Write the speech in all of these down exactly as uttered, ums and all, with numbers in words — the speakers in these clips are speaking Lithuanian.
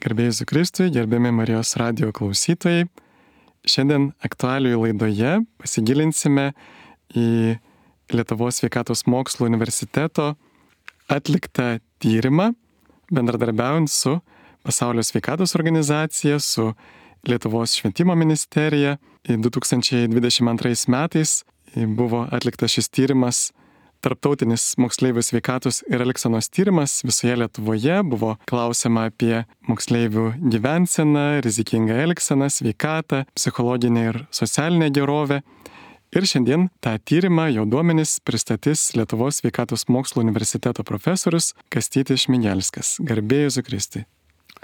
Garbėjai Jėzui Kristui, gerbiami Marijos radijo klausytojai. Šiandien aktualijų laidoje pasigilinsime į Lietuvos sveikatos mokslų universiteto atliktą tyrimą, bendradarbiaujant su Pasaulio sveikatos organizacija, su Lietuvos švietimo ministerija. du tūkstančiai dvidešimt antrais metais buvo atliktas šis tyrimas, tarptautinis moksleivių sveikatos ir elgsenos tyrimas visoje Lietuvoje. Buvo klausiama apie moksleivių gyvenseną, rizikingą elgseną, sveikatą, psichologinę ir socialinę gerovę. Ir šiandien tą tyrimą, jo duomenis pristatys Lietuvos sveikatos mokslų universiteto profesorius Kastytis Šmigelskas. Garbėjai Jėzui Kristui.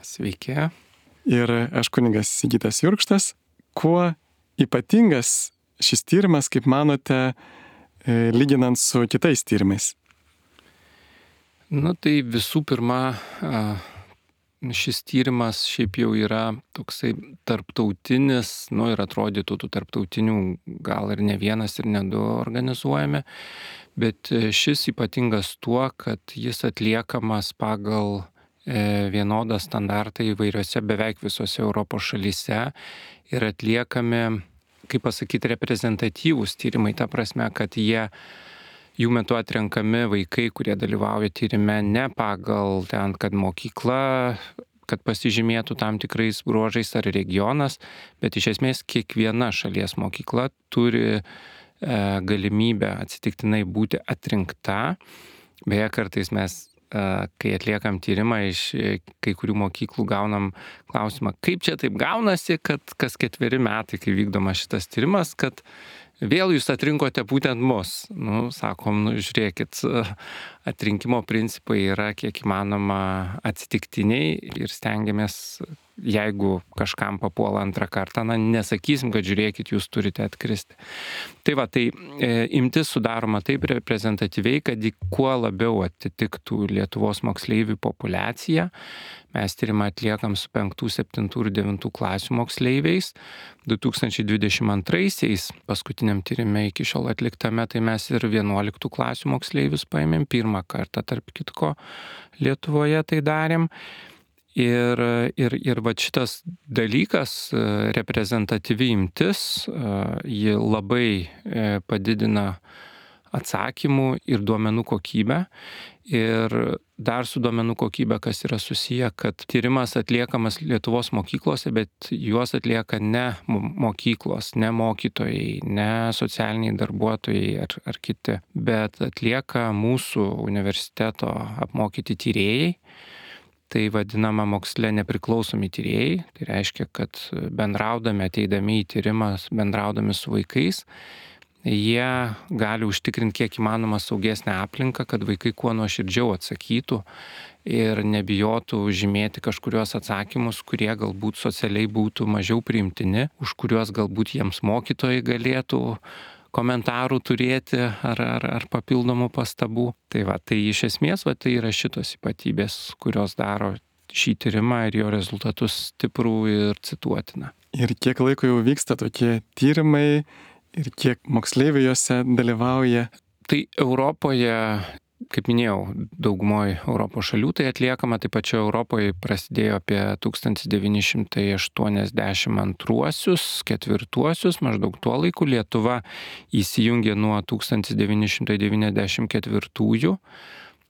Sveiki. Ir aš kunigas Sigitas Jurkštas. Kuo ypatingas šis tyrimas, kaip manote, lyginant su kitais tyrimais? Nu tai visų pirma, šis tyrimas šiaip jau yra toksai tarptautinis, nu ir atrodytų tų tarptautinių gal ir ne vienas ir ne du organizuojami, bet šis ypatingas tuo, kad jis atliekamas pagal vienodą standartą įvairiose beveik visose Europos šalyse ir atliekami, kaip pasakyti, reprezentatyvūs tyrimai, ta prasme, kad jie, jų metu atrenkami vaikai, kurie dalyvauja tyrime ne pagal ten, kad mokykla, kad pasižymėtų tam tikrais bruožais ar regionas, bet iš esmės kiekviena šalies mokykla turi e, galimybę atsitiktinai būti atrinkta. Beje, kartais mes kai atliekam tyrimą iš kai kurių mokyklų gaunam klausimą, kaip čia taip gaunasi, kad kas ketveri metai, kai vykdoma šitas tyrimas, kad vėl jūs atrinkote būtent mus. Nu, sakom, nu, žiūrėkit, atrinkimo principai yra kiek įmanoma atsitiktiniai ir stengiamės, jeigu kažkam papuola antrą kartą, na, nesakysim, kad žiūrėkit, jūs turite atkristi. Tai va, tai e, imtis sudaroma taip reprezentatyviai, kad kuo labiau atitiktų Lietuvos moksleivių populiaciją. Mes tyrimą atliekam su penktų, septintų ir devintų klasių moksleiviais. du tūkstančiai dvidešimt antraisiais, paskutiniam tyrime iki šiol atliktame, tai mes ir vienuoliktų klasių moksleivius paėmėm. Pirmą kartą, tarp kitko, Lietuvoje tai darėm. Ir, ir, ir va šitas dalykas, reprezentatyvi imtis, ji labai padidina atsakymų ir duomenų kokybę. Ir dar su duomenų kokybė, kas yra susiję, kad tyrimas atliekamas Lietuvos mokyklose, bet juos atlieka ne mokyklos, ne mokytojai, ne socialiniai darbuotojai ar, ar kiti, bet atlieka mūsų universiteto apmokyti tyrėjai. Tai vadinama moksle nepriklausomi tyrėjai. Tai reiškia, kad bendraudami, ateidami į tyrimą, bendraudami su vaikais, jie gali užtikrinti kiek įmanoma saugesnę aplinką, kad vaikai kuo nuoširdžiau atsakytų ir nebijotų žymėti kažkurios atsakymus, kurie galbūt socialiai būtų mažiau priimtini, už kuriuos galbūt jiems mokytojai galėtų komentarų turėti ar, ar, ar papildomų pastabų. Tai va, tai iš esmės va, tai yra šitos ypatybės, kurios daro šį tyrimą ir jo rezultatus stiprų ir cituotiną. Ir kiek laiko jau vyksta tokie tyrimai ir kiek moksleivių juose dalyvauja? Tai Europoje, kaip minėjau, daugumoje Europos šalių tai atliekama, taip pačioje Europoje prasidėjo apie tūkstantis devyni šimtai aštuoniasdešimt antruosius, ketvirtuosius, maždaug tuo laiku. Lietuva įsijungė nuo tūkstantis devyni šimtai devyniasdešimt ketvirtųjų.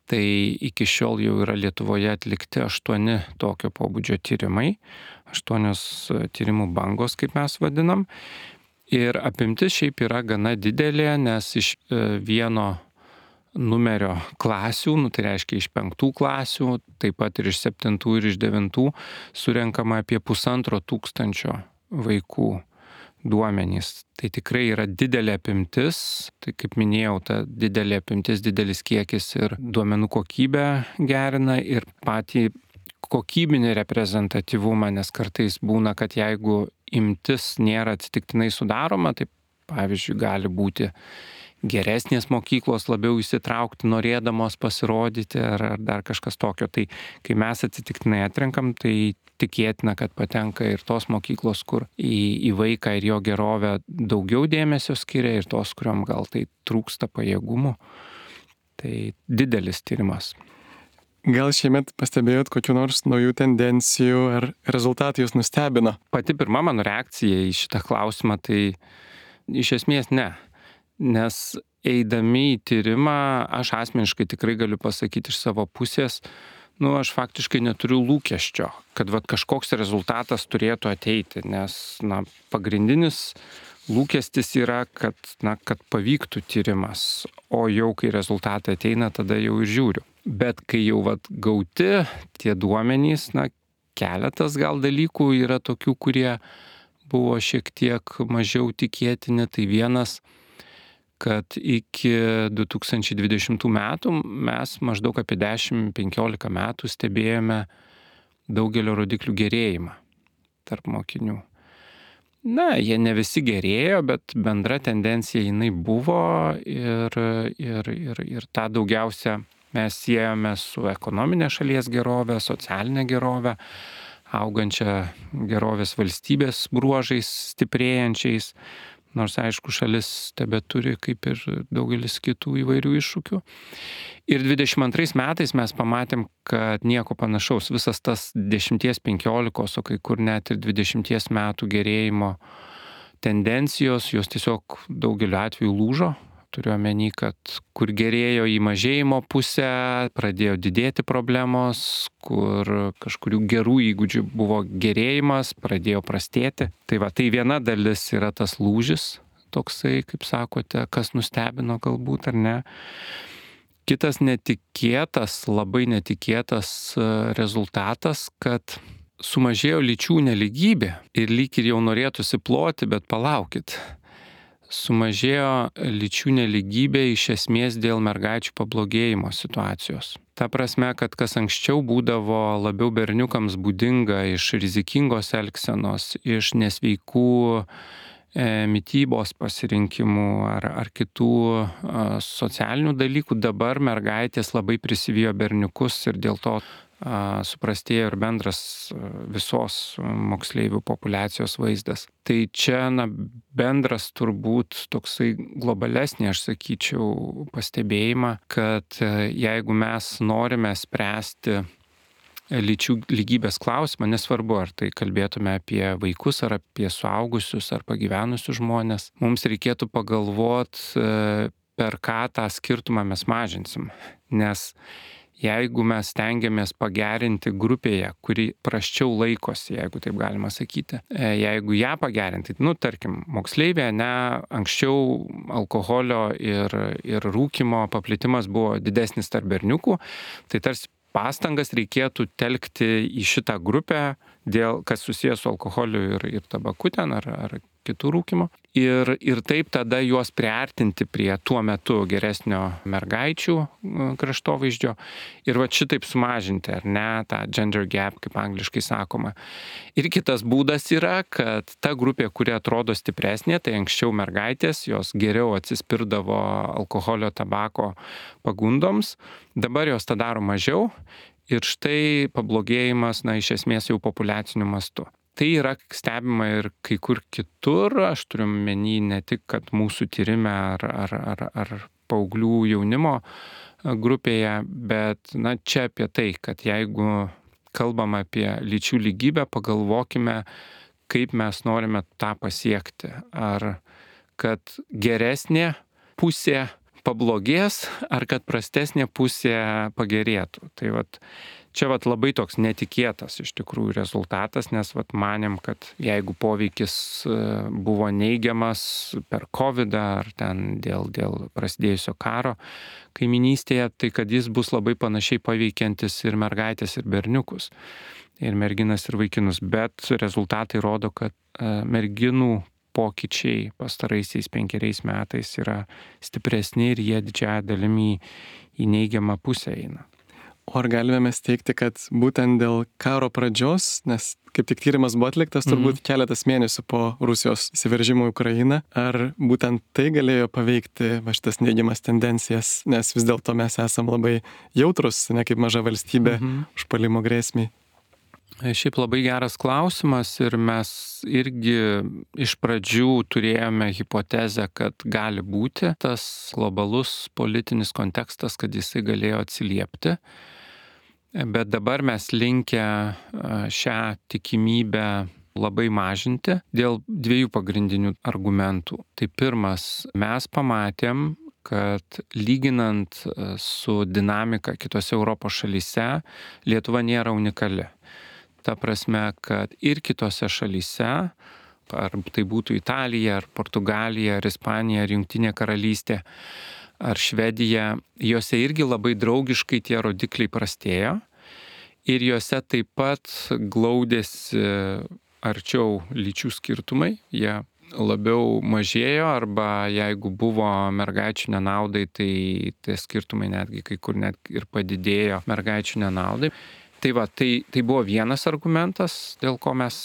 Tai iki šiol jau yra Lietuvoje atlikti aštuoni tokio pobūdžio tyrimai, aštuonios tyrimų bangos, kaip mes vadinam. Ir apimtis šiaip yra gana didelė, nes iš vieno numerio klasių, nu, tai reiškia iš penktų klasių, taip pat ir iš septintų ir iš devintų, surenkama apie pusantro tūkstančio vaikų duomenys. Tai tikrai yra didelė apimtis, tai kaip minėjau, ta didelė apimtis, didelis kiekis ir duomenų kokybę gerina ir patį kokybinį reprezentatyvumą, nes kartais būna, kad jeigu imtis nėra atsitiktinai sudaroma, tai pavyzdžiui gali būti geresnės mokyklos labiau įsitraukti, norėdamos pasirodyti ar, ar dar kažkas tokio. Tai kai mes atsitiktinai atrenkam, tai tikėtina, kad patenka ir tos mokyklos, kur į, į vaiką ir jo gerovę daugiau dėmesio skiria ir tos, kuriuom gal tai trūksta pajėgumų. Tai didelis tyrimas. gal šiemet pastebėjot kokių nors naujų tendencijų ar rezultatai jūs nustebino? Pati pirma mano reakcija į šitą klausimą tai iš esmės ne. Nes eidami į tyrimą, aš asmeniškai tikrai galiu pasakyti iš savo pusės, nu, aš faktiškai neturiu lūkesčio, kad vat, kažkoks rezultatas turėtų ateiti, nes na, pagrindinis lūkestis yra, kad, na, kad pavyktų tyrimas, o jau kai rezultatai ateina, tada jau ir žiūriu. Bet kai jau vat, gauti tie duomenys, na, keletas gal dalykų yra tokių, kurie buvo šiek tiek mažiau tikėtini, tai vienas, kad iki du tūkstančiai dvidešimtų metų mes maždaug apie dešimt penkiolika metų stebėjome daugelio rodiklių gerėjimą tarp mokinių. Na, jie ne visi gerėjo, bet bendra tendencija jinai buvo ir, ir, ir, ir tą daugiausia mes siejame su ekonominė šalies gerovė, socialinė gerovė, augančia gerovės valstybės bruožais stiprėjančiais. Nors, aišku, šalis tebe turi kaip ir daugelis kitų įvairių iššūkių. Ir dvidešimt antrais metais mes pamatėm, kad nieko panašaus. Visas tas dešimties, penkiolikos, o kai kur net ir dvidešimties metų gerėjimo tendencijos, jos tiesiog daugeliu atveju lūžo. Turiu omeny, kad kur gerėjo į mažėjimo pusę, pradėjo didėti problemos, kur kažkurių gerų įgūdžių buvo gerėjimas, pradėjo prastėti. Tai va, tai viena dalis yra tas lūžis, toksai, kaip sakote, kas nustebino galbūt ar ne. Kitas netikėtas, labai netikėtas rezultatas, kad sumažėjo lyčių nelygybė ir lyg ir jau norėtųsi ploti, bet palaukit. Sumažėjo lyčių nelygybė iš esmės dėl mergaičių pablogėjimo situacijos. Ta prasme, kad kas anksčiau būdavo labiau berniukams būdinga iš rizikingos elgsenos, iš nesveikų e, mitybos pasirinkimų ar, ar kitų e, socialinių dalykų, dabar mergaitės labai prisivijo berniukus ir dėl to suprastėjo ir bendras visos moksleivių populiacijos vaizdas. Tai čia na, bendras turbūt toksai globalesnė, aš sakyčiau, pastebėjimą, kad jeigu mes norime spręsti lyčių lygybės klausimą, nesvarbu, ar tai kalbėtume apie vaikus, ar apie suaugusius, ar pagyvenusius žmonės, mums reikėtų pagalvoti, per ką tą skirtumą mes mažinsim. Nes jeigu mes stengiamės pagerinti grupėje, kuri prasčiau laikosi, jeigu taip galima sakyti, jeigu ją pagerinti, nu, tarkim, moksleivė, ne, anksčiau alkoholio ir, ir rūkymo paplitimas buvo didesnis tarp berniukų, tai tarsi pastangas reikėtų telkti į šitą grupę, dėl, kas susijęs su alkoholiu ir, ir tabaku ten, ar, ar kitų rūkymo. Ir, ir taip tada juos priartinti prie tuo metu geresnio mergaičių kraštovaizdžio ir va šitaip sumažinti, ar ne, tą gender gap, kaip angliškai sakoma. Ir kitas būdas yra, kad ta grupė, kuri atrodo stipresnė, tai anksčiau mergaitės, jos geriau atsispirdavo alkoholio, tabako pagundoms, dabar jos tą daro mažiau ir štai pablogėjimas, na, iš esmės jau populiaciniu mastu. Tai yra stebima ir kai kur kitur, aš turiu menį ne tik, kad mūsų tyrime ar, ar, ar, ar paauglių jaunimo grupėje, bet na, čia apie tai, kad jeigu kalbam apie lyčių lygybę, pagalvokime, kaip mes norime tą pasiekti. Ar kad geresnė pusė pablogės, ar kad prastesnė pusė pagerėtų. Tai vat, čia vat labai toks netikėtas iš tikrųjų rezultatas, nes vat manėm, kad jeigu poveikis buvo neigiamas per kovidą ar ten dėl, dėl prasidėjusio karo kaiminystėje, tai kad jis bus labai panašiai paveikiantis ir mergaitės, ir berniukus, ir merginas, ir vaikinus. Bet rezultatai rodo, kad merginų pokyčiai pastaraisiais penkeriais metais yra stipresni ir jie didžiąją dalimi į neigiamą pusę eina. O ar galime mes teikti, kad būtent dėl karo pradžios, nes kaip tik tyrimas buvo atliktas turbūt mm-hmm. keletas mėnesių po Rusijos įsiveržimo į Ukrainą, ar būtent tai galėjo paveikti va šitas neigiamas tendencijas, nes vis dėlto mes esam labai jautrus, ne kaip maža valstybė mm-hmm. užpuolimo grėsmiai? Šiaip labai geras klausimas ir mes irgi iš pradžių turėjome hipotezę, kad gali būti tas globalus politinis kontekstas, kad jisai galėjo atsiliepti. Bet dabar mes linkę šią tikimybę labai mažinti dėl dviejų pagrindinių argumentų. Tai pirmas, mes pamatėm, kad lyginant su dinamika kitose Europos šalyse, Lietuva nėra unikali. Ta prasme, kad ir kitose šalyse, ar tai būtų Italija, ar Portugalija, ar Ispanija, ar Jungtinė karalystė, ar Švedija, jose irgi labai draugiškai tie rodikliai prastėjo ir jose taip pat glaudėsi arčiau lyčių skirtumai, jie labiau mažėjo arba jeigu buvo mergaičių nenaudai, tai tie skirtumai netgi kai kur net ir padidėjo mergaičių nenaudai. Tai va, tai, tai buvo vienas argumentas, dėl ko mes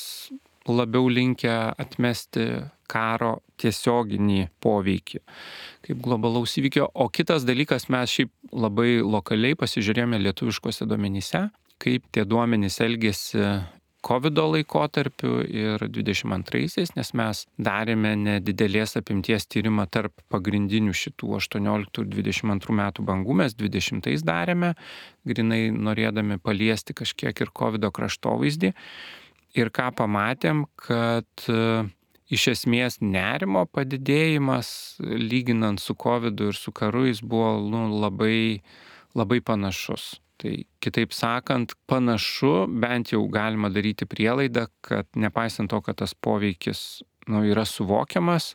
labiau linkę atmesti karo tiesioginį poveikį kaip globalaus įvykio. O kitas dalykas, mes šiaip labai lokaliai pasižiūrėjome lietuviškose duomenyse, kaip tie duomenys elgėsi kovido laikotarpiu ir dvidešimt antraisiais, nes mes darėme nedidelės apimties tyrimą tarp pagrindinių šitų aštuonioliktų ir dvidešimt antrų metų bangų, mes dvidešimtais darėme, grinai norėdami paliesti kažkiek ir kovido kraštovaizdį. Ir ką pamatėm, kad iš esmės nerimo padidėjimas, lyginant su kovidu ir su karu, jis buvo nu, labai, labai panašus. Tai kitaip sakant, panašu, bent jau galima daryti prielaidą, kad nepaisant to, kad tas poveikis nu, yra suvokiamas,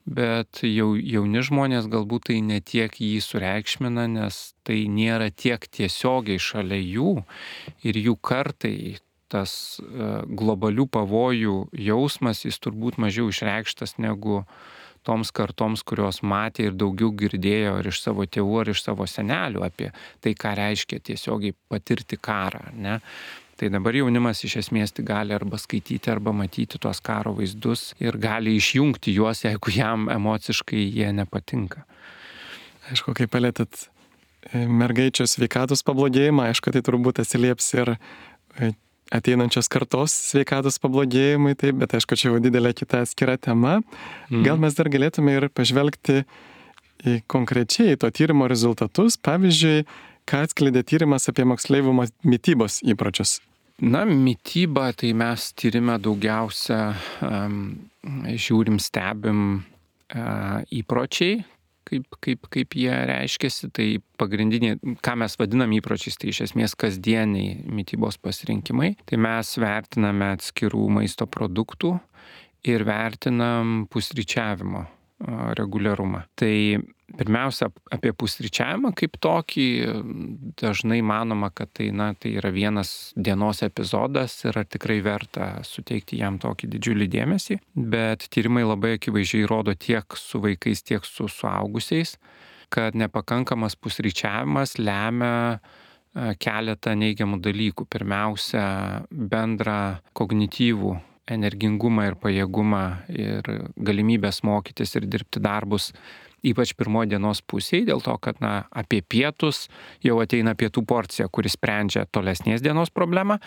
bet jau jauni žmonės galbūt tai netiek jį sureikšmina, nes tai nėra tiek tiesiogiai šalia jų ir jų kartai. Tas globalių pavojų jausmas, jis turbūt mažiau išreikštas negu toms kartoms, kurios matė ir daugiau girdėjo ar iš savo tėvų, ar iš savo senelių apie tai, ką reiškia tiesiogiai patirti karą. Ne? Tai dabar jaunimas iš esmės tai gali arba skaityti, arba matyti tuos karo vaizdus ir gali išjungti juos, jeigu jam emociškai jie nepatinka. Aišku, kai palėtėt mergaičių sveikatos pablogėjimą, aišku, tai turbūt atsilieps ir ateinančios kartos sveikatos pablogėjimai, taip, bet aišku, čia jau didelė kita atskira tema. Gal mes dar galėtume ir pažvelgti į konkrečiai to tyrimo rezultatus, pavyzdžiui, ką atskleidė tyrimas apie moksleivių mitybos įpročius. Na, mityba, tai mes tyrime daugiausia um, žiūrim, stebim uh, įpročiai, Kaip, kaip, kaip jie reiškiasi, tai pagrindiniai, ką mes vadinam įpročiais, tai iš esmės kasdieniai mitybos pasirinkimai. Tai mes vertiname atskirų maisto produktų ir vertinam pusryčiavimo reguliarumą. Tai pirmiausia, apie pusryčiavimą kaip tokį dažnai manoma, kad tai, na, tai yra vienas dienos epizodas ir ar tikrai verta suteikti jam tokį didžiulį dėmesį. Bet tyrimai labai akivaizdžiai rodo tiek su vaikais, tiek su suaugusiais, kad nepakankamas pusryčiavimas lemia keletą neigiamų dalykų. Pirmiausia, bendrą kognityvų energingumą ir pajėgumą ir galimybės mokytis ir dirbti darbus, ypač pirmoje dienos pusėje, dėl to, kad na, apie pietus jau ateina pietų porcija, kuris sprendžia tolesnės dienos problemą,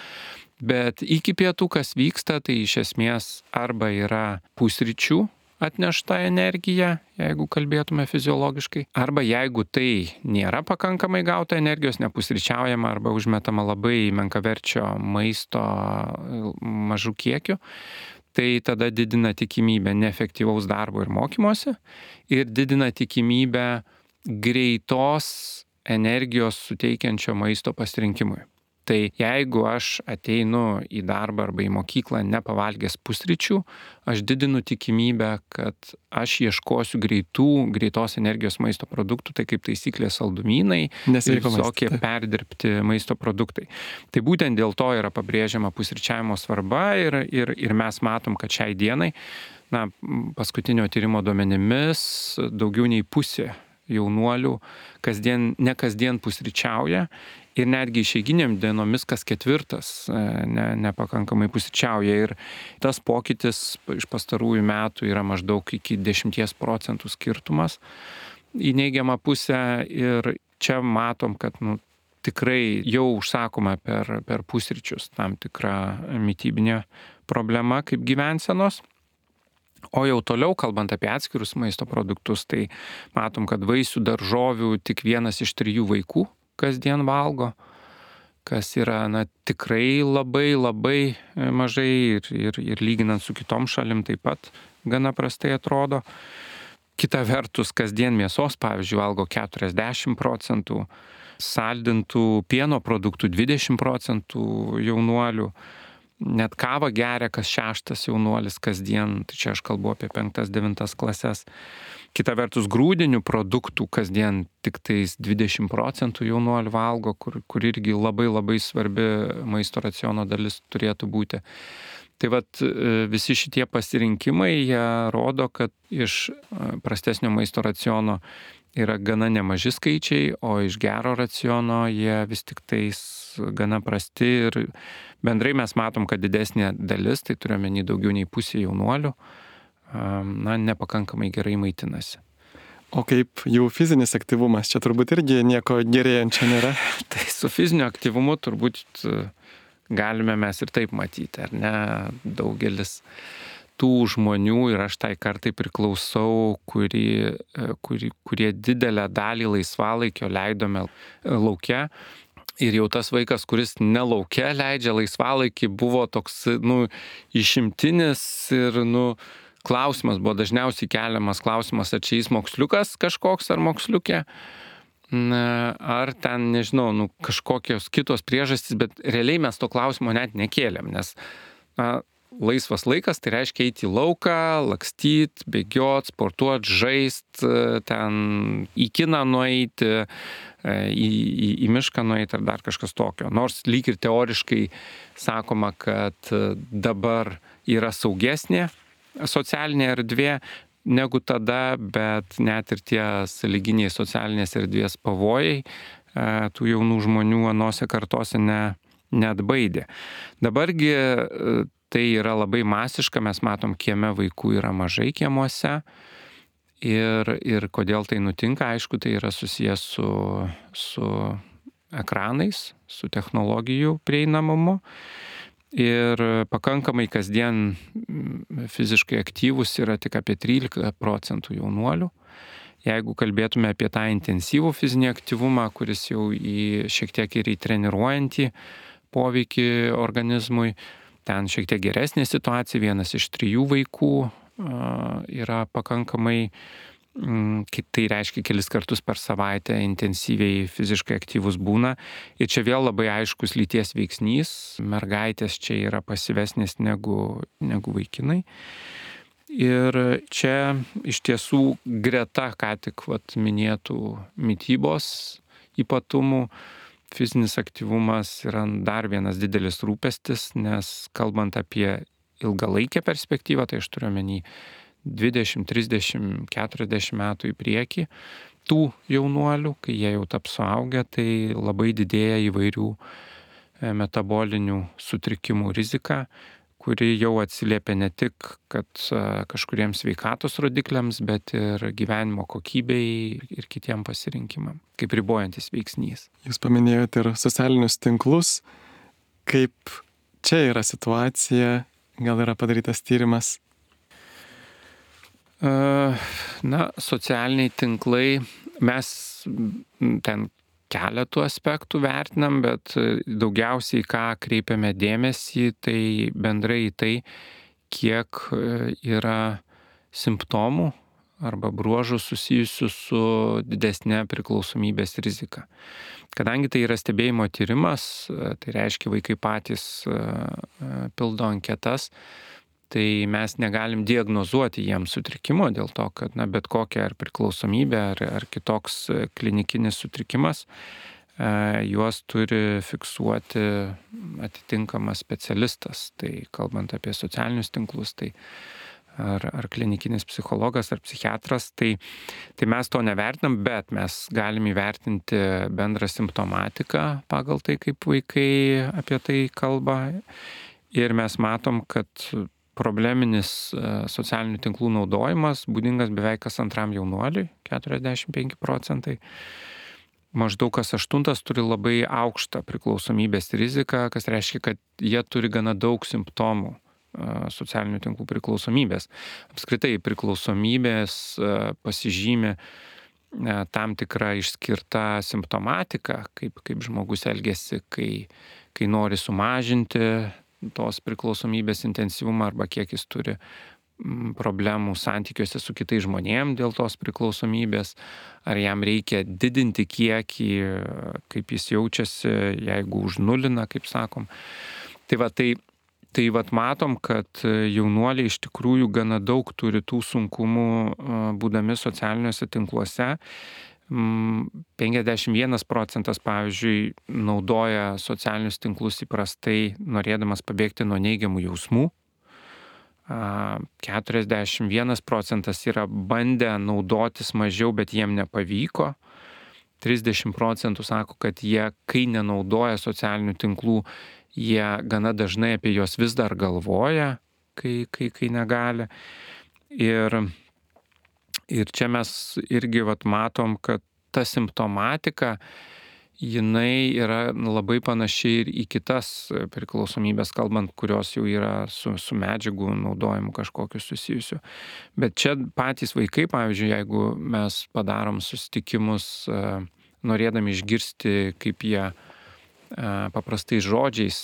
bet iki pietų kas vyksta, tai iš esmės arba yra pusryčių atnešta energija, jeigu kalbėtume fiziologiškai, arba jeigu tai nėra pakankamai gauta energijos, nepusryčiaujama arba užmetama labai menkaverčio maisto mažų kiekių, tai tada didina tikimybę neefektyvaus darbo ir mokymosi ir didina tikimybę greitos energijos suteikiančio maisto pasirinkimui. Tai jeigu aš ateinu į darbą arba į mokyklą nepavalgęs pusryčių, aš didinu tikimybę, kad aš ieškosiu greitų, greitos energijos maisto produktų, tai kaip taisyklė saldumynai ir visokie perdirbti maisto produktai. Tai būtent dėl to yra pabrėžiama pusryčiavimo svarba ir, ir, ir mes matom, kad šiai dienai, na, paskutinio tyrimo duomenimis, daugiau nei pusė jaunuolių kasdien, ne kasdien pusryčiauja ir netgi išeiginiam dienomis kas ketvirtas ne, nepakankamai pusryčiauja. Ir tas pokytis iš pastarųjų metų yra maždaug iki dešimties procentų skirtumas į neigiamą pusę ir čia matom, kad nu, tikrai jau užsakoma per, per pusryčius tam tikra mitybinė problema kaip gyvensenos. O jau toliau, kalbant apie atskirus maisto produktus, tai matom, kad vaisių, daržovių tik vienas iš trijų vaikų kasdien valgo, kas yra na, tikrai labai labai mažai ir, ir, ir lyginant su kitom šalim taip pat gana prastai atrodo. Kita vertus, kasdien mėsos, pavyzdžiui, valgo keturiasdešimt procentų, saldintų pieno produktų dvidešimt procentų jaunuolių, net kavą geria kas šeštas jaunuolis kasdien, tai čia aš kalbu apie penktas, devintas klases. Kita vertus, grūdinių produktų kasdien tik tais dvidešimt procentų jaunuolių valgo, kur, kur irgi labai labai svarbi maisto raciono dalis turėtų būti. Tai vat visi šitie pasirinkimai, jie rodo, kad iš prastesnio maisto raciono yra gana nemaži skaičiai, o iš gero raciono jie vis tik tais gana prasti ir bendrai mes matom, kad didesnė dalis, tai turiuomenį daugiau nei pusė jaunuolių, na, nepakankamai gerai maitinasi. O kaip jų fizinis aktyvumas, čia turbūt irgi nieko gerėjančio nėra? Tai su fiziniu aktyvumu turbūt galime mes ir taip matyti, ar ne? Daugelis tų žmonių, ir aš tai kartai priklausau, kuri, kuri, kurie didelę dalį laisvalaikio leidome lauke. Ir jau tas vaikas, kuris ne lauke leidžia laisvalaikį, buvo toks, nu, išimtinis ir, nu, klausimas buvo dažniausiai keliamas klausimas, ar čia jis moksliukas kažkoks ar moksliukė, ar ten, nežinau, nu, kažkokios kitos priežastys, bet realiai mes to klausimo net nekėlėm, nes na, laisvas laikas tai reiškia eiti į lauką, lakstyt, bėgiot, sportuot, žaist, ten į kiną nueiti, į, į, į mišką nueiti ar dar kažkas tokio. Nors lyg ir teoriškai sakoma, kad dabar yra saugesnė socialinė erdvė negu tada, bet net ir tie sąlyginiai socialinės erdvės pavojai tų jaunų žmonių anose kartose ne, neatbaidė. Dabargi tai yra labai masiška, mes matom, kieme vaikų yra mažai kiemuose ir, ir kodėl tai nutinka, aišku, tai yra susijęs su, su ekranais, su technologijų prieinamumu. Ir pakankamai kasdien fiziškai aktyvus yra tik apie trylika procentų jaunuolių. Jeigu kalbėtume apie tą intensyvų fizinį aktyvumą, kuris jau į, šiek tiek ir į treniruojantį poveikį organizmui, ten šiek tiek geresnė situacija, vienas iš trijų vaikų yra pakankamai, tai reiškia kelis kartus per savaitę intensyviai fiziškai aktyvus būna. Ir čia vėl labai aiškus lyties veiksnys, mergaitės čia yra pasyvesnės negu, negu vaikinai. Ir čia iš tiesų greta, ką tik vat, minėtų mitybos ypatumų, fizinis aktyvumas yra dar vienas didelis rūpestis, nes kalbant apie ilgalaikę perspektyvą, tai aš turiu omeny dvidešimt, trisdešimt, keturiasdešimt metų į priekį, tų jaunuolių, kai jie jau taps suaugę, tai labai didėja įvairių metabolinių sutrikimų rizika, kuri jau atsiliepia ne tik, kad kažkuriems sveikatos rodikliams, bet ir gyvenimo kokybei ir kitiem pasirinkimam, kaip ribojantis veiksnys. Jūs paminėjote ir socialinius tinklus. Kaip čia yra situacija? Gal yra padarytas tyrimas? Na, socialiniai tinklai, mes ten keletų aspektų vertinam, bet daugiausiai ką kreipiame dėmesį, tai bendrai tai, kiek yra simptomų arba bruožų susijusių su didesnė priklausomybės rizika. Kadangi tai yra stebėjimo tyrimas, tai reiškia vaikai patys pildo anketas, tai mes negalim diagnozuoti jiems sutrikimo dėl to, kad na, bet kokia ar priklausomybė ar, ar kitoks klinikinis sutrikimas, e, juos turi fiksuoti atitinkamas specialistas. Tai kalbant apie socialinius tinklus, tai ar, ar klinikinis psichologas ar psichiatras, tai, tai mes to nevertinam, bet mes galim įvertinti bendrą simptomatiką pagal tai, kaip vaikai apie tai kalba. Ir mes matom, kad probleminis socialinių tinklų naudojimas būdingas beveik kas antram jaunuoliui, keturiasdešimt penki procentai. Maždaug kas aštuntas turi labai aukštą priklausomybės riziką, kas reiškia, kad jie turi gana daug simptomų socialinių tinklų priklausomybės. Apskritai priklausomybės pasižymi tam tikra išskirta simptomatika, kaip, kaip žmogus elgesi, kai, kai nori sumažinti tos priklausomybės intensyvumą arba kiek jis turi problemų santykiuose su kitais žmonėm dėl tos priklausomybės, ar jam reikia didinti kiekį, kaip jis jaučiasi, jeigu užnulina, kaip sakom. Tai va, tai, tai va matom, kad jaunuoliai iš tikrųjų gana daug turi tų sunkumų būdami socialiniuose tinkluose. penkiasdešimt vienas procentas, pavyzdžiui, naudoja socialinius tinklus įprastai, norėdamas pabėgti nuo neigiamų jausmų. keturiasdešimt vienas procentas yra bandę naudotis mažiau, bet jiem nepavyko. trisdešimt procentų sako, kad jie, kai nenaudoja socialinių tinklų, jie gana dažnai apie juos vis dar galvoja, kai, kai, kai negali. Ir, ir čia mes irgi vat, matom, kad ta simptomatika, jinai yra labai panaši ir į kitas priklausomybės, kalbant, kurios jau yra su, su medžiagų naudojimu kažkokiu susijusiu. Bet čia patys vaikai, pavyzdžiui, jeigu mes padarom susitikimus, norėdami išgirsti, kaip jie paprastais žodžiais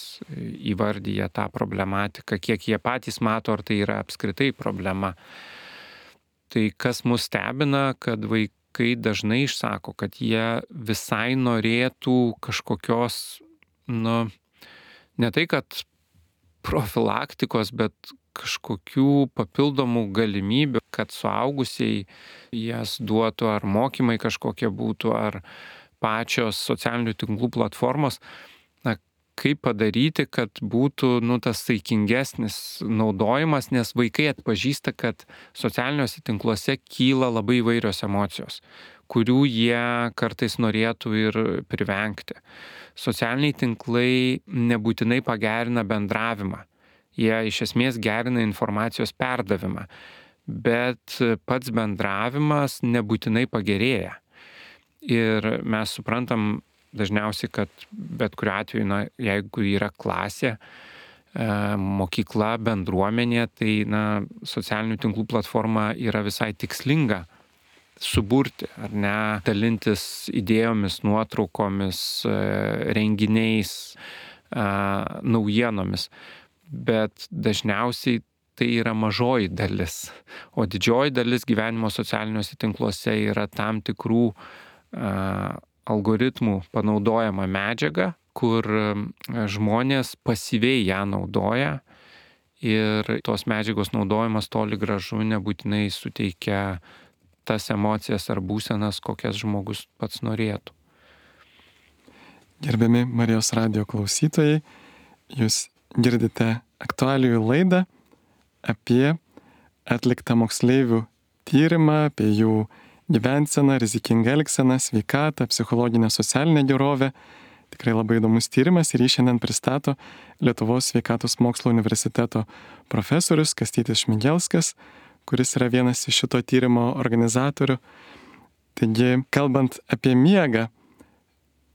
įvardyja tą problematiką, kiek jie patys mato, ar tai yra apskritai problema. Tai kas mus stebina, kad vaikai kai dažnai išsako, kad jie visai norėtų kažkokios, nu, ne tai, kad profilaktikos, bet kažkokių papildomų galimybių, kad suaugusiai jas duotų, ar mokymai kažkokie būtų, ar pačios socialinių tinklų platformos. Na, kaip padaryti, kad būtų, nu, tas saikingesnis naudojimas, nes vaikai atpažįsta, kad socialiniuose tinkluose kyla labai įvairios emocijos, kurių jie kartais norėtų ir privengti. Socialiniai tinklai nebūtinai pagerina bendravimą, jie iš esmės gerina informacijos perdavimą, bet pats bendravimas nebūtinai pagerėja. Ir mes suprantam dažniausiai, kad bet kuriuo atveju, na, jeigu yra klasė, mokykla, bendruomenė, tai na, socialinių tinklų platforma yra visai tikslinga suburti, ar ne, dalintis idėjomis, nuotraukomis, renginiais, naujienomis. Bet dažniausiai tai yra mažoji dalis, o didžioji dalis gyvenimo socialiniuose tinkluose yra tam tikrų algoritmų panaudojama medžiaga, kur žmonės pasyviai ją naudoja ir tos medžiagos naudojimas toli gražu nebūtinai suteikia tas emocijas ar būsenas, kokias žmogus pats norėtų. Gerbiami Marijos radijo klausytojai, jūs girdite aktualijų laidą apie atliktą moksleivių tyrimą, apie jų gyvenseną, rizikingą elgseną, sveikatą, psichologinę, socialinę gerovę. Tikrai labai įdomus tyrimas ir jį šiandien pristato Lietuvos sveikatos mokslo universiteto profesorius Kastytis Šmigelskas, kuris yra vienas iš šito tyrimo organizatorių. Taigi, kalbant apie miegą,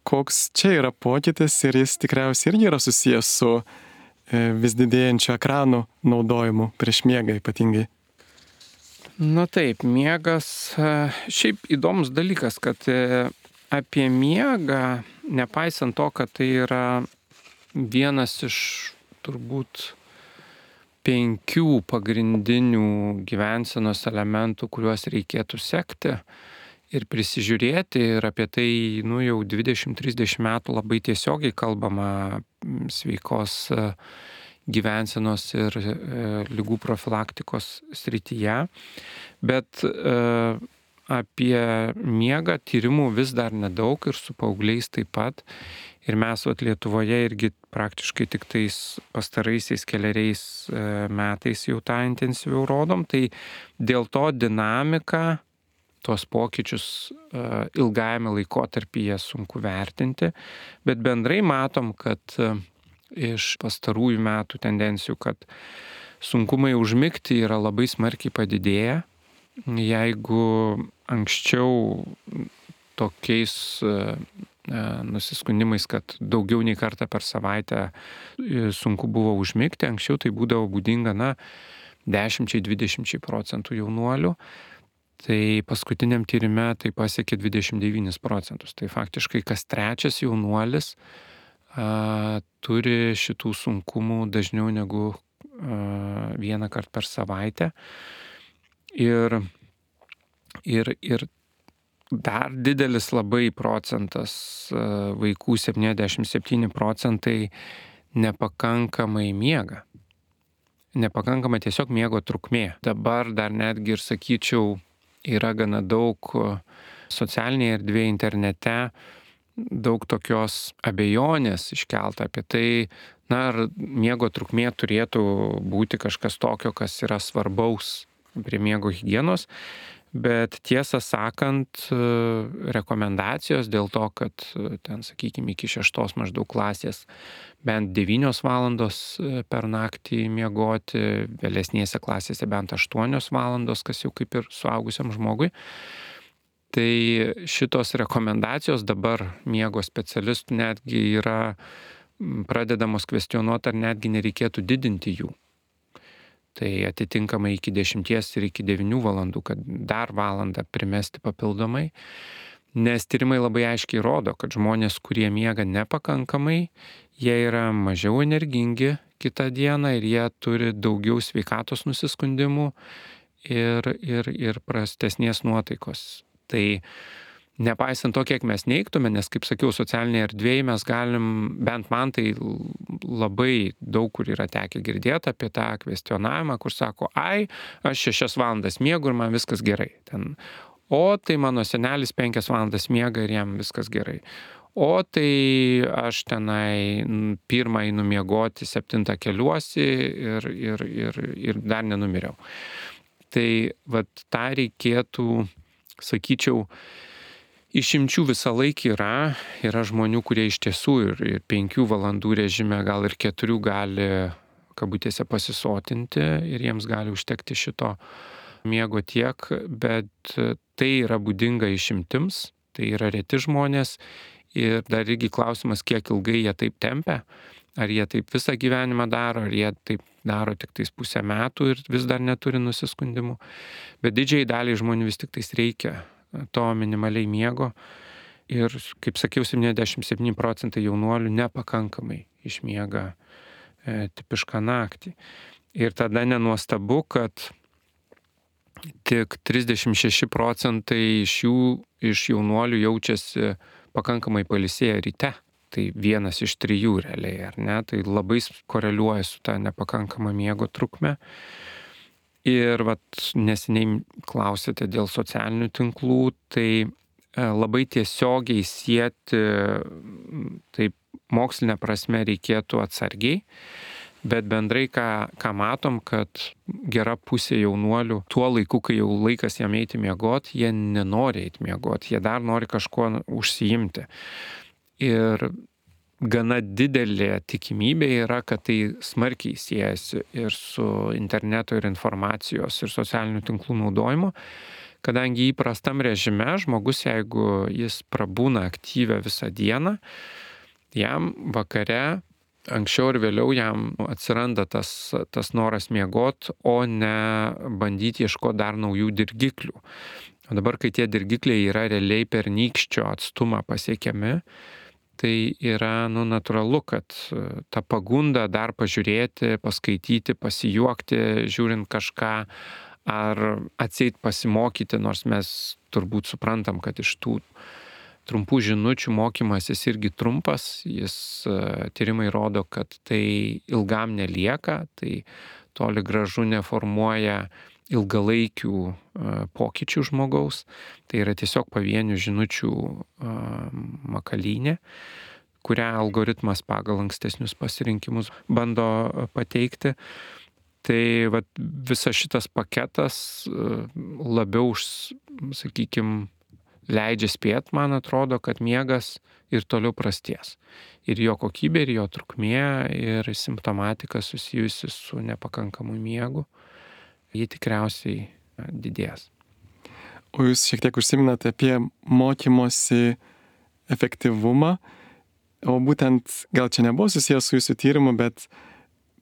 koks čia yra pokytis ir jis tikriausiai irgi yra susijęs su vis didėjančiu ekranų naudojimu prieš miegą ypatingai. Na taip, miegas, šiaip įdomus dalykas, kad apie miegą, nepaisant to, kad tai yra vienas iš turbūt penkių pagrindinių gyvensenos elementų, kuriuos reikėtų sekti ir prisižiūrėti, ir apie tai nu, jau dvidešimt trisdešimt metų labai tiesiogiai kalbama sveikos gyvensenos ir e, ligų profilaktikos srityje, bet e, apie miegą tyrimų vis dar nedaug ir su paaugliais taip pat. Ir mes vat, Lietuvoje irgi praktiškai tik tais pastaraisiais keleriais e, metais jau tą intensyviau rodom, tai dėl to dinamika, tuos pokyčius e, ilgajame laikotarpyje sunku vertinti, bet bendrai matom, kad e, iš pastarųjų metų tendencijų, kad sunkumai užmigti yra labai smarkiai padidėję. Jeigu anksčiau tokiais nusiskundimais, kad daugiau nei kartą per savaitę sunku buvo užmigti, anksčiau tai būdavo būdinga, na, dešimčiai dvidešimčiai procentų jaunuolių, Tai paskutiniam tyrime tai pasiekė dvidešimt devynis procentus. Tai faktiškai kas trečias jaunuolis a, turi šitų sunkumų dažniau negu a, vieną kartą per savaitę. Ir, ir, ir dar didelis labai procentas a, vaikų, septyniasdešimt septyni procentai, nepakankamai miega. Nepakankama tiesiog miego trukmė. Dabar dar netgi ir sakyčiau, yra gana daug socialinėje erdvėje, internete, daug tokios abejonės iškelta apie tai, na, ar miego trukmė turėtų būti kažkas tokio, kas yra svarbaus prie miego higienos. Bet tiesą sakant, rekomendacijos dėl to, kad ten, sakykime, iki šeštos maždaug klasės bent devynios valandos per naktį miegoti, vėlesnėse klasėse bent aštuonios valandos, kas jau kaip ir suaugusiam žmogui. Tai šitos rekomendacijos dabar miego specialistų netgi yra pradedamos kvestionuoti, ar netgi nereikėtų didinti jų. Tai atitinkamai iki dešimties ir iki devynių valandų, kad dar valandą primesti papildomai. Nes tyrimai labai aiškiai rodo, kad žmonės, kurie miega nepakankamai, jie yra mažiau energingi kitą dieną ir jie turi daugiau sveikatos nusiskundimų ir, ir, ir prastesnės nuotaikos. Tai nepaisant to, kiek mes neigtume, nes, kaip sakiau, socialinėje erdvėje mes galim, bent man tai labai daug kur yra tekę girdėti apie tą kvestionavimą, kur sako, ai, aš šešias valandas miegu ir man viskas gerai. Ten, o tai mano senelis penkias valandas miega ir jam viskas gerai. O tai aš tenai pirmą einu miegoti, septintą keliuosi ir, ir, ir, ir dar nenumiriau. Tai vat tą reikėtų, sakyčiau, išimčių visą laiką yra, yra žmonių, kurie iš tiesų ir, ir penkių valandų režime, gal ir keturių gali kabutėse pasisotinti ir jiems gali užtekti šito miego tiek, bet tai yra būdinga išimtims, tai yra reti žmonės ir dar irgi klausimas, kiek ilgai jie taip tempia, ar jie taip visą gyvenimą daro, ar jie taip daro tik tais pusę metų ir vis dar neturi nusiskundimų, bet didžiai daliai žmonių vis tik tais reikia to minimaliai miego ir, kaip sakiau, septyniasdešimt septyni procentai jaunuolių nepakankamai išmiega e, tipišką naktį. Ir tada nenuostabu, kad tik trisdešimt šeši procentai iš jų, iš jaunuolių jaučiasi pakankamai pailsėję ryte. Tai vienas iš trijų realiai, ar ne? Tai labai koreliuoja su ta nepakankama miego trukme. Ir vat, neseniai klausėte dėl socialinių tinklų, tai labai tiesiogiai sieti, taip mokslinė prasme reikėtų atsargiai, bet bendrai ką, ką matom, kad gera pusė jaunuolių tuo laiku, kai jau laikas jam eiti miegoti, jie nenori eiti miegoti, jie dar nori kažkuo užsiimti. Ir gana didelė tikimybė yra, kad tai smarkiai siejasi ir su interneto ir informacijos ir socialinių tinklų naudojimu, kadangi įprastam režime žmogus, jeigu jis prabūna aktyvę visą dieną, jam vakare, anksčiau ir vėliau jam atsiranda tas, tas noras miegot, o ne bandyti ieškoti dar naujų dirgiklių. O dabar, kai tie dirgikliai yra realiai per nykščio atstumą pasiekiami, tai yra, nu, natūralu, kad ta pagunda dar pažiūrėti, paskaityti, pasijuokti, žiūrint kažką, ar atseit pasimokyti, nors mes turbūt suprantam, kad iš tų trumpų žinučių mokymasis irgi trumpas, jis tyrimai rodo, kad tai ilgam nelieka, tai toli gražu neformuoja ilgalaikių pokyčių žmogaus, tai yra tiesiog pavienių žinučių makalynė, kurią algoritmas pagal ankstesnius pasirinkimus bando pateikti. Tai vat, visas šitas paketas labiau, sakykime, leidžia spėt, man atrodo, kad miegas ir toliau prasties. Ir jo kokybė, ir jo trukmė, ir simptomatika susijusi su nepakankamu miegu, ji tikriausiai didės. O jūs šiek tiek užsiminate apie mokymosi efektyvumą, o būtent, gal čia nebuvo susijęs su jūsų tyrimu, bet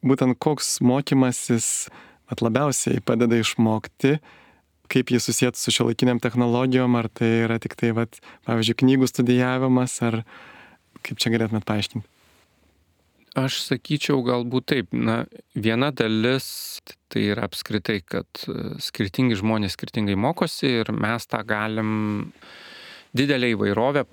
būtent koks mokymasis labiausiai padeda išmokti kaip jį susijęti su šiuolaikiniam technologijom, ar tai yra tik tai, vat, pavyzdžiui, knygų studijavimas, ar kaip čia galėtumėt paaiškinti? Aš sakyčiau galbūt taip, na, viena dalis tai yra apskritai, kad skirtingi žmonės skirtingai mokosi ir mes tą galim didelę įvairovę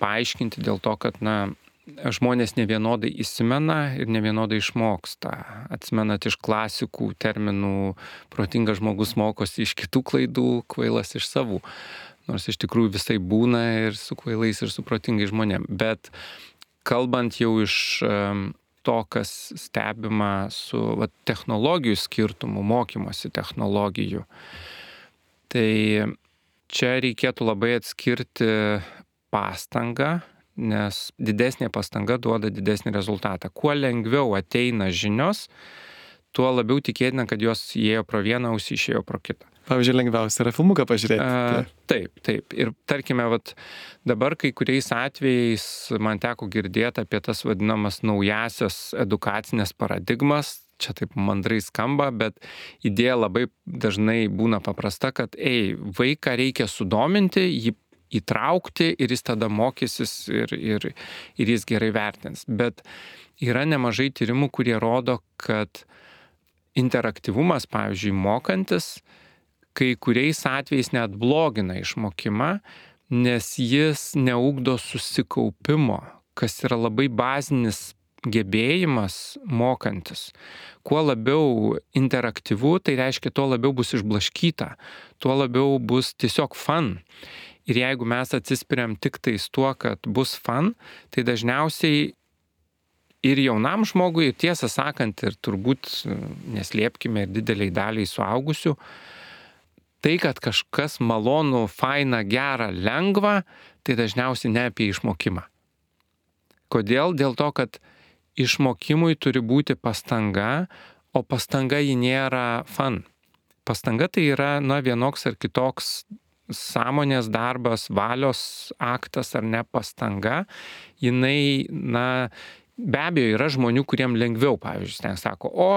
paaiškinti dėl to, kad, na, žmonės nevienodai įsimena ir nevienodai išmoksta. Atsimenat iš klasikų terminų, protingas žmogus mokosi iš kitų klaidų, kvailas iš savų. Nors iš tikrųjų visai būna ir su kvailais, ir su protingais žmonėm. Bet kalbant jau iš to, kas stebima su va, technologijų skirtumų, mokymosi technologijų. Tai čia reikėtų labai atskirti pastangą, nes didesnė pastanga duoda didesnį rezultatą. Kuo lengviau ateina žinios, tuo labiau tikėtina, kad jos įėjo pro vieną ausį, išėjo pro kitą. Pavyzdžiui, lengviausia yra filmuką pažiūrėti. A, taip, taip. Ir tarkime, vat, dabar kai kuriais atvejais man teko girdėti apie tas vadinamas naujasias edukacinės paradigmas. Čia taip mandrai skamba, bet idėja labai dažnai būna paprasta, kad ei, vaiką reikia sudominti, jį įtraukti ir jis tada mokysis ir, ir, ir jis gerai vertins. Bet yra nemažai tyrimų, kurie rodo, kad interaktyvumas, pavyzdžiui, mokantis, kai kuriais atvejais net blogina išmokimą, nes jis neugdo susikaupimo, kas yra labai bazinis gebėjimas mokantis. Kuo labiau interaktyvu, tai reiškia, tuo labiau bus išblaškyta, tuo labiau bus tiesiog fun. Ir jeigu mes atsispiriam tik tais tuo, kad bus fun, tai dažniausiai ir jaunam žmogui, ir tiesą sakant, ir turbūt neslėpkime ir dideliai daliai suaugusių, tai, kad kažkas malonu, faina, gera, lengva, tai dažniausiai ne apie išmokimą. Kodėl? Dėl to, kad išmokimui turi būti pastanga, o pastanga ji nėra fun. Pastanga tai yra, na, vienoks ar kitoks sąmonės darbas, valios aktas ar ne pastanga. Jinai, na, be abejo, yra žmonių, kuriem lengviau, pavyzdžiui, ten sako, o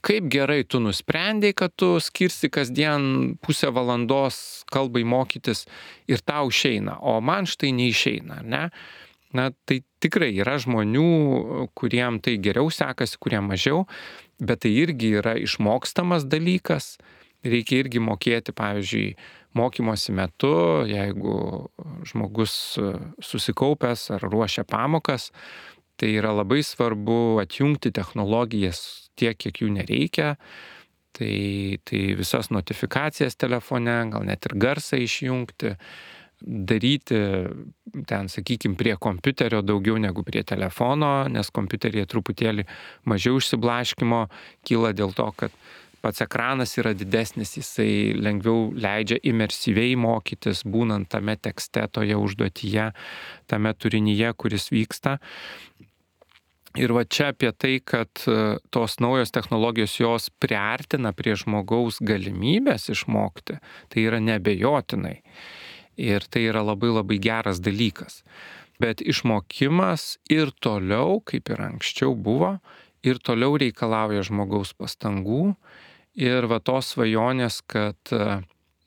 kaip gerai tu nusprendei, kad tu skirsi kasdien pusę valandos kalbai mokytis ir tau išeina, o man štai neišeina, ne? Na, tai tikrai yra žmonių, kuriem tai geriau sekasi, kuriem mažiau, bet tai irgi yra išmokstamas dalykas. Reikia irgi mokėti, pavyzdžiui, mokymosi metu, jeigu žmogus susikaupęs ar ruošia pamokas, tai yra labai svarbu atjungti technologijas tiek, kiek jų nereikia. Tai, tai visas notifikacijas telefone, gal net ir garsą išjungti, daryti ten, sakykime, prie kompiuterio daugiau negu prie telefono, nes kompiuteryje truputėlį mažiau išsiblaškimo kyla dėl to, kad pats ekranas yra didesnis, jisai lengviau leidžia imersyviai mokytis, būnant tame tekste, toje užduotyje, tame turinyje, kuris vyksta. Ir va čia apie tai, kad tos naujos technologijos jos priartina prie žmogaus galimybės išmokti, tai yra neabejotinai. Ir tai yra labai labai geras dalykas. Bet išmokimas ir toliau, kaip ir anksčiau buvo, ir toliau reikalauja žmogaus pastangų. Ir va tos svajonės, kad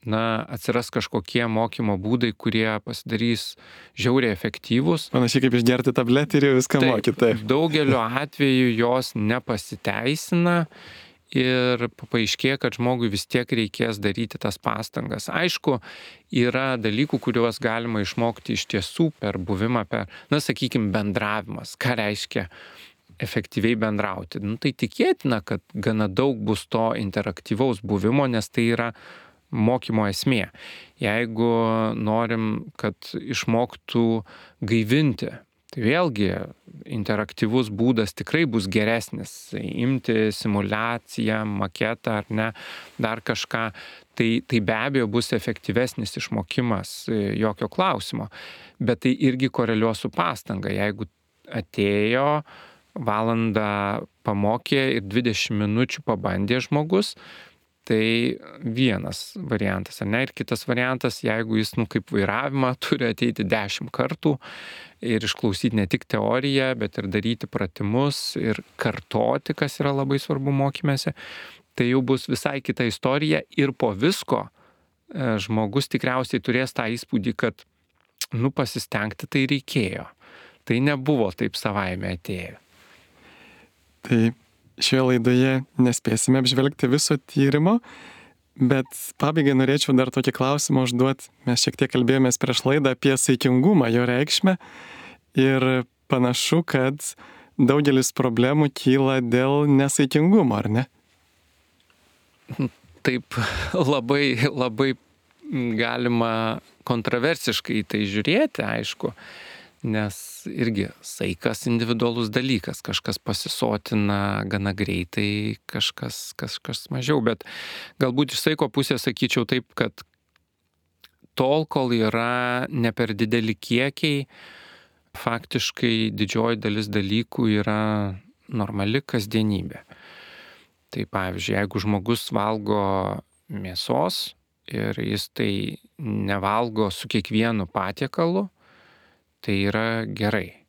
na, atsiras kažkokie mokymo būdai, kurie pasidarys žiauriai efektyvūs. Panašiai kaip išgerti tabletį ir jau viską mokyti. Taip. Daugeliu atveju jos nepasiteisina ir paaiškėja, kad žmogui vis tiek reikės daryti tas pastangas. Aišku, yra dalykų, kuriuos galima išmokti iš tiesų per buvimą, per, na, sakykime, bendravimas. Ką reiškia efektyviai bendrauti? Nu, tai tikėtina, kad gana daug bus to interaktyvaus buvimo, nes tai yra mokymo esmė. Jeigu norim, kad išmoktų gaivinti, tai vėlgi interaktyvus būdas tikrai bus geresnis. Imti simulaciją, maketą ar ne, dar kažką, tai, tai be abejo bus efektyvesnis išmokimas, jokio klausimo. Bet tai irgi koreliuos su pastanga. Jeigu atėjo, valandą pamokė ir dvidešimt minučių pabandė žmogus, tai vienas variantas, ar ne? Ir kitas variantas, jeigu jis, nu, kaip vairavimą, turi ateiti dešimt kartų ir išklausyti ne tik teoriją, bet ir daryti pratimus ir kartoti, kas yra labai svarbu mokymėse, tai jau bus visai kita istorija ir po visko žmogus tikriausiai turės tą įspūdį, kad, nu, pasistengti tai reikėjo. Tai nebuvo taip savaime atėjo. Tai šioje laidoje nespėsime apžvelgti viso tyrimo, bet pabaigai norėčiau dar tokį klausimą užduoti. Mes šiek tiek kalbėjomės prieš laidą apie saikingumą, jo reikšmę, ir panašu, kad daugelis problemų kyla dėl nesaikingumo, ar ne? Taip labai, labai galima kontroversiškai į tai žiūrėti, aišku, nes irgi saikas individualus dalykas, kažkas pasisotina gana greitai, kažkas, kažkas mažiau, bet galbūt iš saiko pusės sakyčiau taip, kad tol, kol yra ne per dideli kiekiai, faktiškai didžioji dalis dalykų yra normali kasdienybė. Tai pavyzdžiui, jeigu žmogus valgo mėsos ir jis tai nevalgo su kiekvienu patiekalu, tai yra gerai.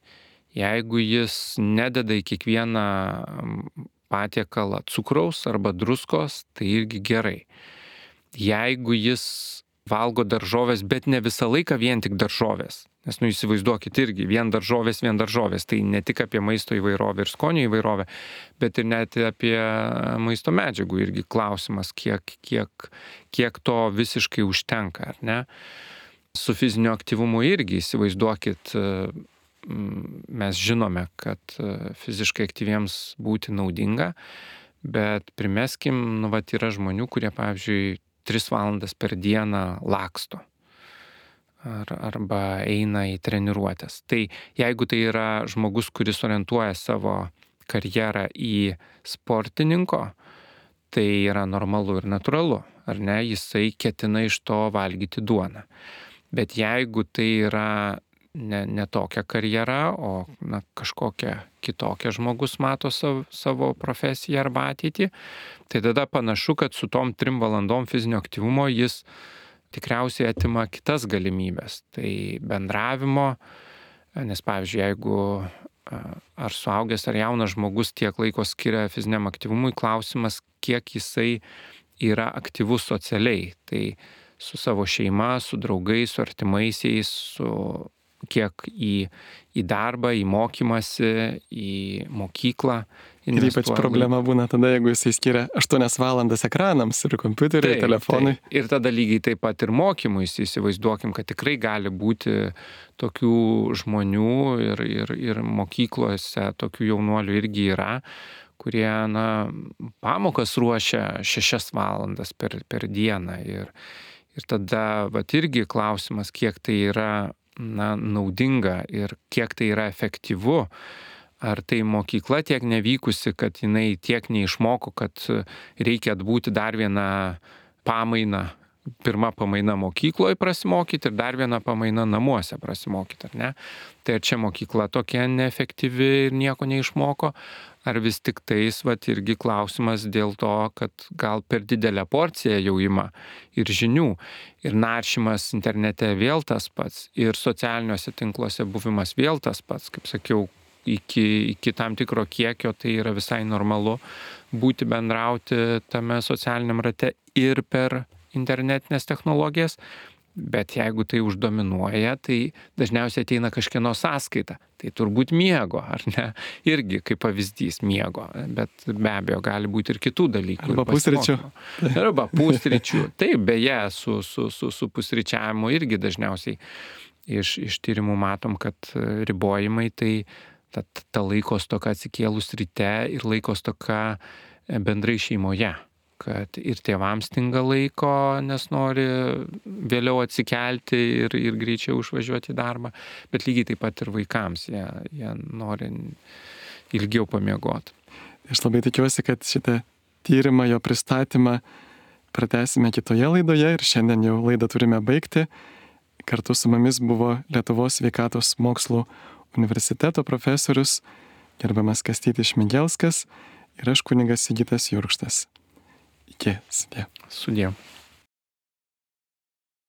Jeigu jis nededa į kiekvieną patiekalą cukraus arba druskos, tai irgi gerai. Jeigu jis valgo daržovės, bet ne visą laiką vien tik daržovės, nes, nu, įsivaizduokit irgi, vien daržovės, vien daržovės, tai ne tik apie maisto įvairovę ir skonio įvairovę, bet ir net apie maisto medžiagų irgi klausimas, kiek, kiek, kiek to visiškai užtenka, ar ne? Su fiziniu aktyvumu irgi įsivaizduokit, mes žinome, kad fiziškai aktyviems būti naudinga, bet primeskim, nu, vat yra žmonių, kurie, pavyzdžiui, tris valandas per dieną laksto ar, arba eina į treniruotės. Tai jeigu tai yra žmogus, kuris orientuoja savo karjerą į sportininko, tai yra normalu ir natūralu, ar ne? Jisai ketina iš to valgyti duoną. Bet jeigu tai yra ne, ne tokia karjera, o na, kažkokia kitokia žmogus mato savo, savo profesiją arba ateitį, tai tada panašu, kad su tom trim valandom fizinio aktyvumo jis tikriausiai atima kitas galimybės. Tai bendravimo, nes pavyzdžiui, jeigu ar suaugęs ar jaunas žmogus tiek laiko skiria fiziniam aktyvumui, klausimas, kiek jisai yra aktyvus socialiai. Tai su savo šeima, su draugais, su artimaisiais, su kiek į, į darbą, į mokymąsi, į mokyklą. Ir ypač problema būna tada, jeigu jisai skiria aštuonias valandas ekranams ir kompiuteriui, taip, telefonui. Taip. Ir tada lygiai taip pat ir mokymui, įsivaizduokim, kad tikrai gali būti tokių žmonių ir, ir, ir mokyklose tokių jaunuolių irgi yra, kurie, na, pamokas ruošia šešias valandas per, per dieną. Ir, ir tada, vat irgi klausimas, kiek tai yra, na, naudinga ir kiek tai yra efektyvu. Ar tai mokykla tiek nevykusi, kad jinai tiek neišmoko, kad reikia atbūti dar vieną pamainą, pirmą pamainą mokykloje prasimokyti ir dar vieną pamainą namuose prasimokyti, ar ne? Tai ar čia mokykla tokia neefektyvi ir nieko neišmoko, ar vis tik tais, vat, irgi klausimas dėl to, kad gal per didelę porciją jau ima ir žinių, ir naršymas internete vėl tas pats, ir socialiniuose tinkluose buvimas vėl tas pats, kaip sakiau, Iki, iki tam tikro kiekio tai yra visai normalu būti bendrauti tame socialiniam rate ir per internetinės technologijas, bet jeigu tai uždominuoja, tai dažniausiai ateina kažkieno sąskaita. Tai turbūt miego, ar ne? Irgi kaip pavyzdys miego, bet be abejo gali būti ir kitų dalykų. Arba pusryčių. Arba pusryčių. Taip, beje, su, su, su, su pusryčiavimu irgi dažniausiai iš, iš tyrimų matom, kad ribojimai tai Ta, ta laiko stoka atsikėlus ryte ir laiko stoka bendrai šeimoje, kad ir tėvams stinga laiko, nes nori vėliau atsikelti ir, ir greičiau išvažiuoti į darbą, bet lygiai taip pat ir vaikams, jie, jie nori ilgiau pamiegoti. Aš labai tikiuosi, kad šitą tyrimą, jo pristatymą pratęsime kitoje laidoje ir šiandien jau laidą turime baigti. Kartu su mumis buvo Lietuvos sveikatos mokslų universiteto profesorius, gerbiamas Kastytis Šmigelskas ir aš kunigas Sigitas Jurkštas. Iki, sudie. Sudie.